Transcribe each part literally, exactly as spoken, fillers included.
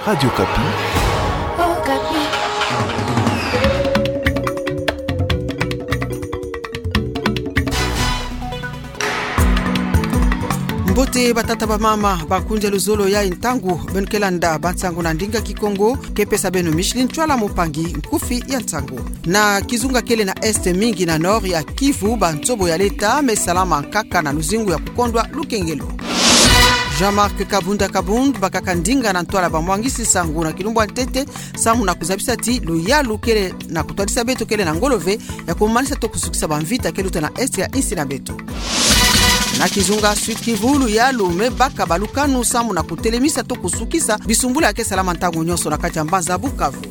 Radio Okapi. Mbote batata bamama, bakundi ya luzolo ya ntangu, beno ke landa bansangu na ndinga Kikongo, ke pesa beno Micheline Ntwala, mopangi nkufi ya nsangu. Na kizunga kele na Est mingi na Nord ya Kivu, bansobo ya leta me salama nkaka na luzingu ya kukondwa lukengelo. Jean-Marc Kabund Kabund bakaka ndinga na ntwala bamwangisi nsangu na kilumbu ya ntete, samu na kuzabisa ti luyalu kele na kutwadisa beto kele na ngolo ve ya kumanisa to kusukisa bamvita ke luta na Est ya insi na beto. Na kizunga Sud Kivu, luyalu me baka balukanu samu na kutelemisa to kusukisa bisumbula ya ke salama ntangu nyonso na kati ya mbanza Bukavu.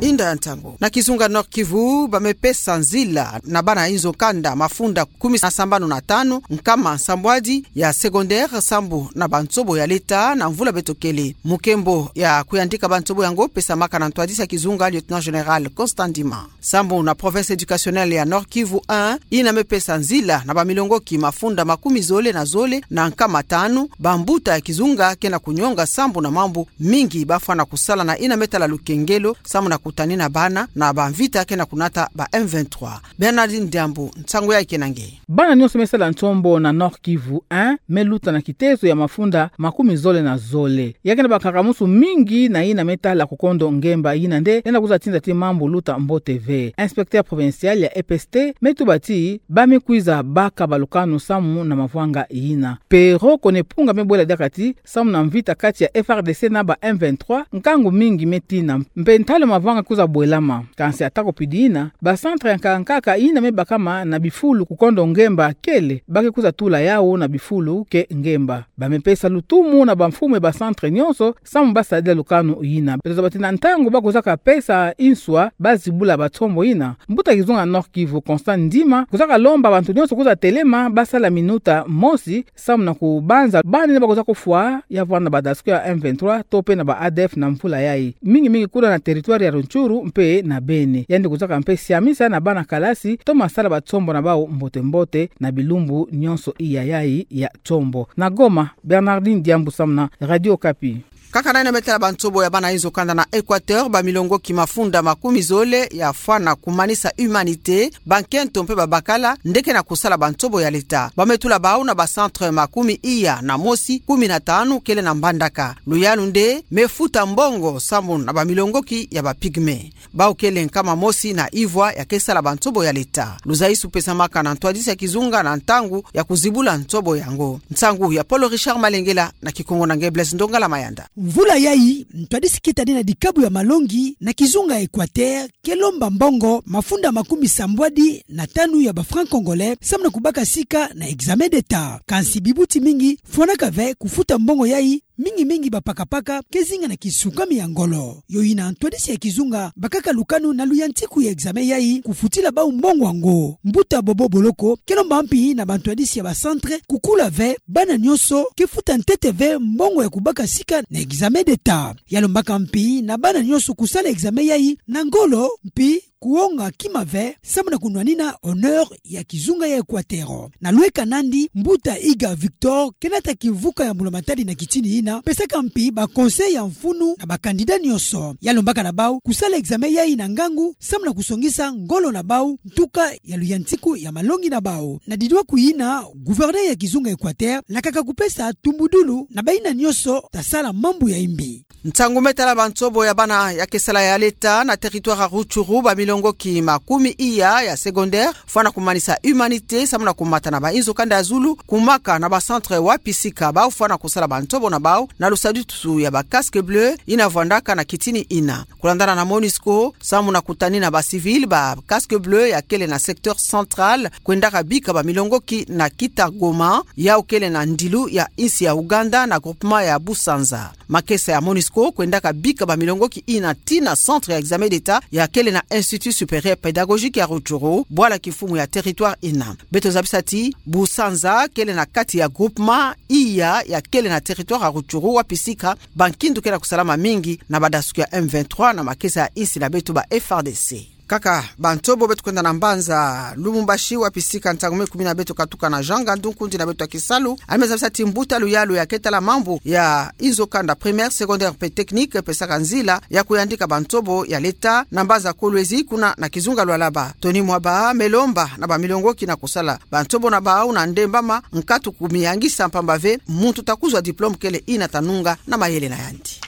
Inda ya ntangu. Na kizunga Nord Kivu, ba me pesa nzila na bana inzo kanda mafunda kumi na sambanu na tanu, nkama nsambwadi ya secondaire sambu na bansobo ya leta na mvula beto kele. Mukembo ya kuyandika bansobo yango pesamaka na ntwadisi ya kizunga, Lieutenant Général Constant Ndima. Sambu na province éducationnelle ya Nord Kivu un, ina me pesa nzila na bamilongoki mafunda makumi zole na zole na nkama tanu, bambuta ya kizunga ke na kunyonga sambu na mambu mingi bafwana kusala na ina me tala lukengelo, samu na kutanina bana na bamvita ke na kunata ba M vingt-trois. Bernardine Diambu, nsangu ya ke na nge. Bana nyonso me sala nsombo na Nord Kivu un me luta na kitezo ya mafunda makumi zole na zole. Ya ke na bakakamusu mingi na ina me tala kukondo ngemba, ina nde ina kuza tinda ti mambu luta mbote ve. Inspecteur provincial ya E P S T me tuba ti ba me kwiza baka balukanu samu na mavwanga ina. Pero Kone Mpunga me bwela diaka ti samu na mvita kati ya F R D C na ba M vingt-trois, nkangu mingi me tina, mpe ntalo mavanga kuza bwelama. Kansi atako pidi ina, ba centre ya nkaka nkaka ina me bakama na bifulu kukondo ngemba kele, ba ke kuza tula yau na bifulu ke ngemba. Ba me pesa lutumu na bamfumu ya ba centre nyonso, samu ba sadila lukanu ina. Beto zaba ti na ntangu ba kuzaka pesa inswa, ba zibula batsombo ina. Mbuta kizunga Nord Kivu, Constant Ndima, kuzaka lomba bantu nyonso kuza telema, ba sala minuta mosi, samu na kubanza bana ina ba kuza kufwa ya vwanda na badasuki ya M vingt-trois, to pe na ba A D F na mvula yai. Mingi mingi kuna na territoire ya Rutshuru mpe na Beni. Yandi kuzaka mpe siamisa na bana kalasi, toma sala batsombo na bau mbote mbote na bilumbu nyonso iya yai ya tsombo. Na Goma, Bernardine Diambu samu na Radio Okapi. Kaka na ina me tala bansobo ya bana inzo kanda na Équateur, bamilongoki mafunda makumi zole ya fwana kumanisa Humanité, bankento mpe babakala, nde ke na kusala bansobo ya leta. Ba me tula bau na ba centre makumi iya na mosi, kumi na tanu kele na Mbandaka. Luyalu nde me futa mbongo samu na bamilongoki ya ba pygmées. Bau kele nkama mosi na ivwa ya ke sala bansobo ya leta. Luzaisu pesamaka na ntwadisi ya kizunga na ntangu ya kuzibula nsobo yango. Nsangu ya Paul Richard Malengela, na Kikongo na nge Blaise Ndongala Mayanda. Mvula yai, ntwadisi kitani na dikabu ya malongi na kizunga Équateur ke lomba mbongo mafunda makumi sambwadi na tanu ya ba francs congolais samu na kubaka sika na examen d'État. Kansi bibuti mingi fwanaka ve kufuta mbongo yai, mingi mingi bapakapaka ke zinga na kisukami ya ngolo. Yo ina ntwadisi ya kizunga bakaka lukanu na luyantiku ya examen yai kufutila bau mbongo yango. Mbuta Bobo Boloko ke lomba mpi na bantwadisi ya ba centre kukula ve bana nyonso ke futa ntete ve mbongo ya kubaka sika na examen d'État. Ya lombaka mpi na bana nyonso kusala examen yai na ngolo, mpi kuonga kima ve samu na kunwanina honneur ya kizunga ya Équateur. Na lweka nandi, mbuta Iga Victor ke nata kivuka ya mbula matadi na kitini ina, pesaka mpi ba conseil ya mfunu na ba candidat nyonso. Ya lombaka na bau kusala examen yai na ngangu samu na kusongisa ngolo na bau, ntuka ya luyantiku ya malongi na bau. Na didwaku ina, gouverneur ya kizunga Équateur lakaka kupesa tumbudulu na baina nyonso ta sala mambu ya imbi. Nsangu me tala bansobo ya bana ya ke sala ya leta na territoire ya Rutshuru, bamilongoki makumi iya ya secondaire fwana kumanisa Humanité samu na kumata na ba inzo kanda ya zulu, kumaka na ba centre wapi sika bau fwana kusala bansobo na bau na lusadusu ya ba casques bleus ina vwandaka na kitini ina. Kulandana na Monusco, samu na kutanina ba civils, ba casques bleus ya kele na secteur central kwendaka bika bamilongoki na Kitagoma, yau kele na ndilu ya insi ya Ouganda na groupement ya Busanza. Makesa ya Monusco kwendaka bika bamilongoki ina tii na centre ya examen d'État ya kele na Institut Supérieur Pédagogique ya Rutshuru, bwala kifumu ya territoire ina. Beto zabisa ti Busanza kele na kati ya groupement iya ya kele na territoire ya Rutshuru, wapi sika bankindu ke na kusalama mingi na badasuki ya M vingt-trois na makesa ya insi na beto ba F R D C. Kaka ba ntobo beto kwenda na mbanza Lubumbashi, wapi sika ntangu me kumi na beto katuka na Jean Ngandu, nkundi na beto ya kisalu, yandi me zabisa ti mbuta luyalu ya ketala mambu ya inzo kanda primaire, secondaire mpe technique, pesaka nzila ya kuyandika ba ntobo ya l'État na mbanza Kolwezi, kuna na kizunga Lualaba. Tony Mwaba me lomba na ba milongoki na kusala ba ntobo na bawu na ndembama, nkatu kumiyangisa, mpamba ve muntu ta kuzwa diplôme kele ina ta nunga na mayele na yandi.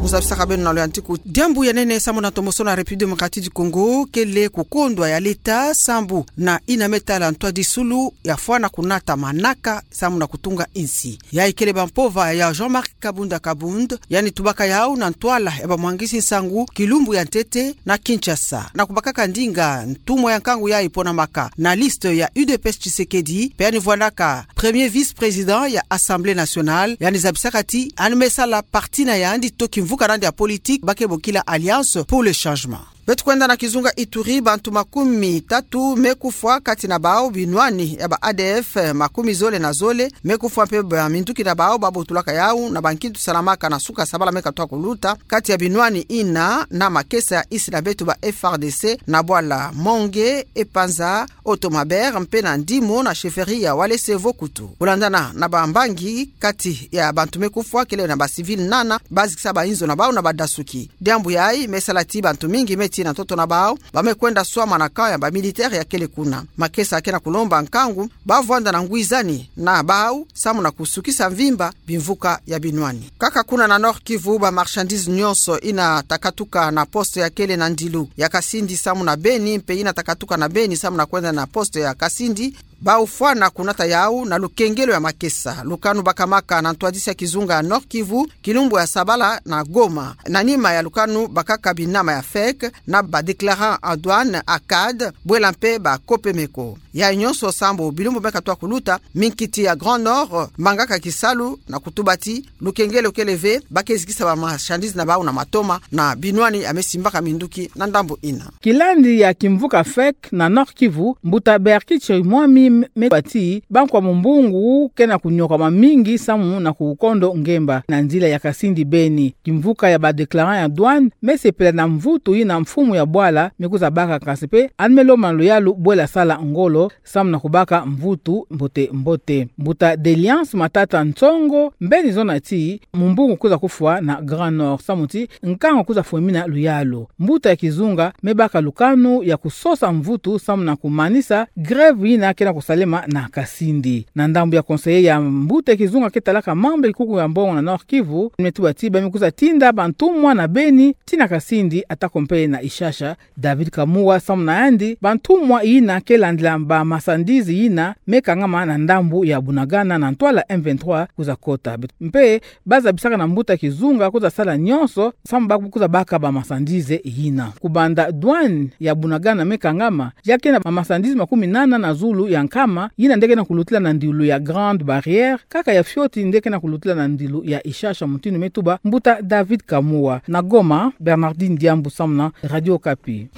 Mu zabisaka beno na loyantiku, diambu ya nene sambu na ntombosono ya République Démocratique du Congo kele kukondwa ya l'État sambu na yina me tala ntwadisulu ya fwana kunata manaka sambu na kutunga insi. Yayi kele ba mpova ya Jean-Marc Kabund Kabund, yandi tubaka yawu na ntwala ya ba mwangisi nsangu kilumbu ya ntete na Kinshasa, na kubakaka ndinga ntumwa ya nkangu yayi ponamaka na liste ya U D P S Tshisekedi, mpe yandi vwandaka premier vice-président ya Assemblée nationale. Yandi zabisaka ti yandi me sala parti na yandi to kimvuka na yandi ya politique ba ke bokila Alliance pour le changement. Beto kwenda na kizunga Ituri, bantu makumi tatu me kufwa, kati na bawu binwani ya ba A D F makumi zole na zole me kufwa, mpe ba minduki na bawu ba botulaka yawu na ba nkintu salamaka na suka sabala me katwa kuluta, kati ya binwani yina na makesa ya insi na beto, ba F A R D C, na bwala Monge, Epanza, Otomabere, mpe na Ndimo na chefferie ya Walese Vokutu. Kulandana na ba mbangi, kati ya bantu me kufwa kele na ba civil nana, ba zikisa ba inzo na bawu na ba dasuki. Diambu yayi me sala ti bantu mingi me tii na ntoto na bawu, ba me kwenda swama na camp ya ba militaire ya kele kuna. Makesa ya ke na kulomba nkangu ba vwanda na ngwizani na bawu samu na kusukisa mvimba bimvuka ya binwani. Kaka kuna na Nord-Kivu, ba marchandise nyonso yina ta katuka na poste ya kele na ndilu ya Kasindi samu na Beni, mpe yina ta katuka na Beni samu na kwenda na poste ya Kasindi, ba ufwana kunata yawu na lukengelo ya makesa. Lukanu bakamaka na ntwadisi ya kizunga ya Nord-Kivu kilumbu ya sabala na Goma, na nima ya lukanu bakaka binama ya FEC na ba déclarant en douane, ACAD, bwela mpe ba COPEMECO. Yayi nyonso sambu bilumbu me katwa kuluta, minkiti ya Grand Nord mangaka kisalu na kutuba ti lukengelo kele ve, ba ke zikisa ba marchandise na bawu na matoma na binwani ya me simbaka minduki na ndambu yina. Kilandi ya kimvuka FEC na Nord-Kivu, mbuta Berki Chirimwami me tuba ti bankwa mumbungu ke na kunyokama mingi samu na kukondo ngemba na nzila ya Kasindi Beni. Kimvuka ya ba déclarant ya douane me sepela na mvutu yina mfumu ya bwala me kwiza baka, kansi mpe yandi me lomba na luyalu bwela sala ngolo samu na kubaka mvutu mbote mbote. Mbuta Deliance Matata Nsongo mbeni zona ti mumbungu kwiza kufwa na Grand Nord samu ti nkangu kwiza fwemina luyalu. Mbuta ya kizunga me baka lukanu ya kusosa mvutu samu na kumanisa grève yina ke na kusalema na Kasindi. Na ndambu ya conseiller ya mbuta ya kizunga ke talaka mambu ya kikuku ya mbongo na Nord-Kivu, me tuba ti ba me kwiza tinda bantumwa na Beni tii na Kasindi, atako mpe na Ishasha, David Kamua samu na yandi bantumwa yina ke landila ba marchandise yina me kangama na ndambu ya Bunagana na ntwala M vingt-trois kwiza kota. Mpe ba zabisaka na mbuta kizunga kwiza sala nyonso samu ba kwiza baka ba marchandise yina. Kubanda douane ya Bunagana me kangama, ya ke na ba marchandise makumi nana na zulu ya nkama yina nde ke na kulutila na ndilu ya Grande Barrière, kaka ya fioti nde ke na kulutila na ndilu ya Ishasha, mutindu me tuba mbuta David Kamua. Na Goma, Bernardine Diambu samu na Radio Okapi.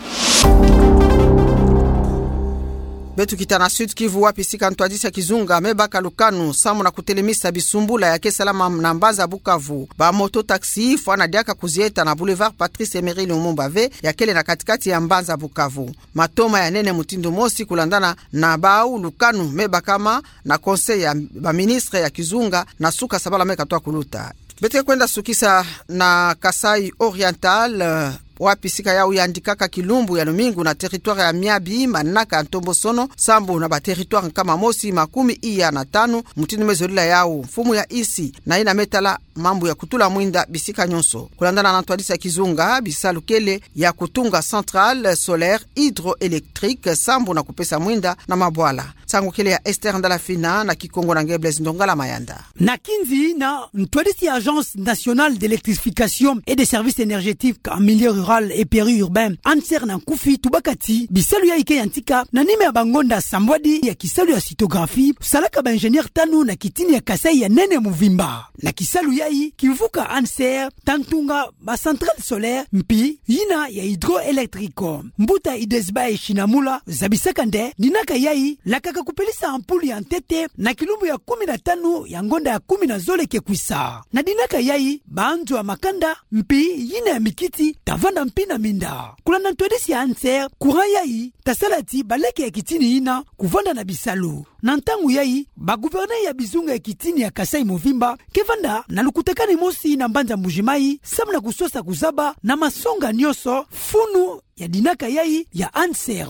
Beto kita na Sud-Kivu, wapi sika ntwadisi ya kizunga me baka lukanu samu na kutelemisa bisumbula ya ke salama na mbanza Bukavu. Ba moto-taxi fwana diaka kuzieta na boulevard Patrice Emery Lumumba ve, ya kele na kati-kati ya mbanza Bukavu. Matoma ya nene mutindu mosi kulandana na bawu lukanu me bakama na conseil ya ba ministre ya kizunga na suka sabala me katwa kuluta. Beto ke kwenda sukisa na Kasaï Oriental, eh, wapi sika yawu yandikaka kilumbu ya lumingu na territoire ya Miabi manaka ya ntombosono sambu na ba territoire nkama mosi makumi iya na tanu, mutindu me zolila yawu mfumu ya insi na yina me tala mambu ya kutula mwinda bisika nyonso. Kulandana na ntwadisi ya kizunga, bisalu kele ya kutunga centrale solaire hydroélectrique sambu na kupesa mwinda na mabwala. Nsangu kele ya Esther Ndalafina, na Kikongo na nge Blaise Ndongala Mayanda. Na kinzi na ntwadisi ya Agence nationale d'électrification et des services énergétiques en milieu rural et périurbain, ANSER na nkufi, tubaka ti bisalu yayi ke yantika na nima ya bangonda sambwadi ya kisalu ya scintigraphie salaka ba ingénieur tanu na kitini ya Kasaï ya nene muvimba. Na kisalu ya yayi kivuka Anser, ta ntunga ba centrale solaire mpi yina ya hydroélectrique. Mbuta Idesbae Shinamura zabisaka nde dinaka yayi lakaka kupelisa ampoule ya ntete na kilumbu ya kumi na tanu ya ngonda ya kumi na zole ke kwisa. Na dinaka yayi banzo ya makanda mpi yina ya mikiti ta vanda mpi na minda. Kulanda ntwadisi ya Anser, courant yayi ta sala ti baleke ya kitini yina kuvanda na bisalu. Na ntangu yayi, ba gouverneur ya bizunga ya kitini ya Kasaï mobimba ke vanda na lukutakanu mosi na mbanza Mbuji-Mayi, samu na kusosa kuzaba na masonga nyonso funu ya dinaka yayi ya Anser.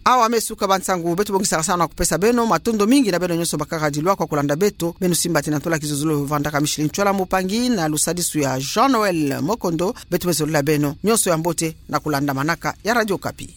Awa me suka ba nsangu beto bongisaka salu na kupesa beno. Matondo mingi na beno nyonso bakaka dilwa kwa kulanda beto. Beno simba ti na ntola kizololo vandaka Micheline Tchwala Mupangi na lusadisu ya Jean-Noël Mokondo. Beto me zolila beno nyonso ya mbote na kulanda manaka ya Radio Okapi.